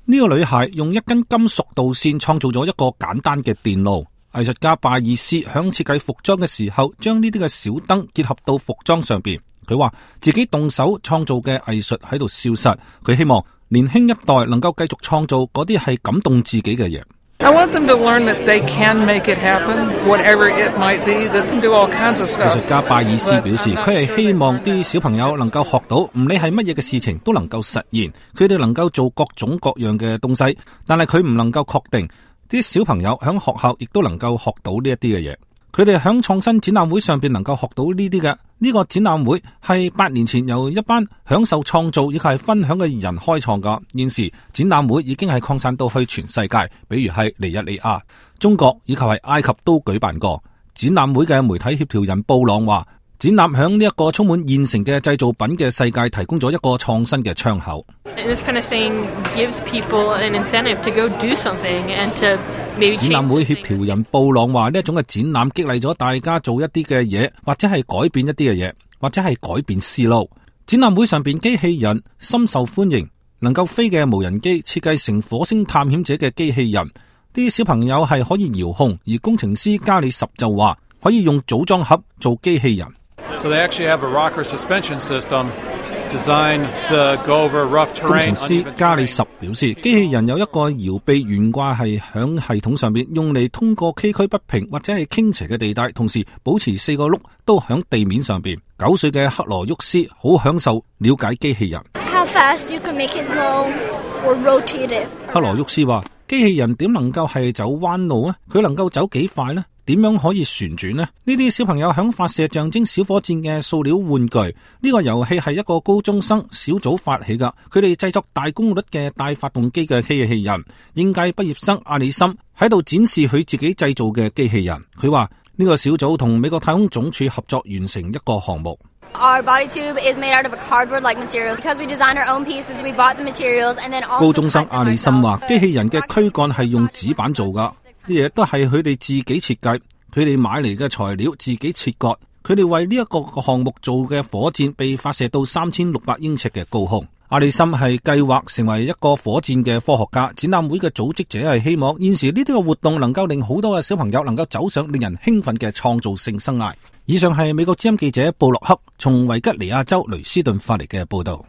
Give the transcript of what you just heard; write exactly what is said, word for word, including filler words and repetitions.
呢個女孩用一根金屬導線創造咗一個簡單嘅電路。藝術家拜爾斯響設計服裝嘅時候，將呢啲嘅小燈結合到服裝上邊。佢話自己動手創造嘅藝術喺度消失，佢希望年輕一代能夠繼續創造嗰啲係感動自己嘅嘢。I want them to learn that they can make it happen, whatever it might be, that they can do all kinds of stuff. 藝術家拜爾斯表示，佢係希望啲小朋友能夠學到，唔理係乜嘢嘅事情都能夠實現，佢哋能夠做各種各樣嘅東西，但係佢唔能夠確定啲小朋友響學校亦都能夠學到呢一啲嘅嘢。佢哋響創新展覽會上邊能夠學到呢啲嘅。呢個展覽會係八年前由一班享受創造以及係分享嘅人開創噶。現時展覽會已經係擴散到去全世界，比如係尼日利亞、中國以及係埃及都舉辦過。展覽會嘅媒體協調人布朗話，展覽響呢一個充滿現成嘅製造品嘅世界提供咗一個創新嘅窗口。This kind of thing gives people an incentive to go do something and to maybe change something. 展覽會協調人布朗話，呢一種嘅展覽激勵咗大家做一啲嘅嘢，或者係改變一啲嘅嘢，或者係改變思路。展覽會上邊機器人深受歡迎，能夠飛嘅無人機設計成火星探險者嘅機器人，啲小朋友係可以遙控，而工程師加里什就話可以用組裝盒做機器人。So they actually have a rocker suspension system designed to go over rough terrain. 工程師加里什表示，機器人有一個搖臂懸掛係響系統上面，用嚟通過崎嶇不平或者係傾斜嘅地帶，同時保持四個轆都響地面上邊。九歲嘅克羅沃斯好享受了解機器人。How fast you can make it go or rotate it. 克羅沃斯話：機器人點能夠係走彎路啊？佢能夠走幾快呢？點樣可以旋轉呢？呢啲小朋友響發射象徵小火箭嘅塑料玩具。呢個遊戲係一個高中生小組發起噶，佢哋製作大功率嘅大發動機嘅機器人。應屆畢業生阿里森喺度展示佢自己製造嘅機器人。佢話呢個小組同美國太空總署合作完成一個項目。Our body tube is made out of a cardboard-like materials. Because we designed our own pieces, we bought the materials and then also. 高中生阿里森話：機器人嘅軀幹係用紙板做噶。啲嘢都係佢哋自己設計，佢哋買嚟嘅材料自己切割，佢哋為呢一個項目做嘅火箭被發射到三千六百英尺嘅高空。阿里森係計劃成為一個火箭嘅科學家。展覽會嘅組織者係希望現時呢啲嘅活動能夠令好多嘅小朋友能夠走上令人興奮嘅創造性生涯。以上係美國之音記者布洛克從維吉尼亞州雷斯頓發嚟嘅報道。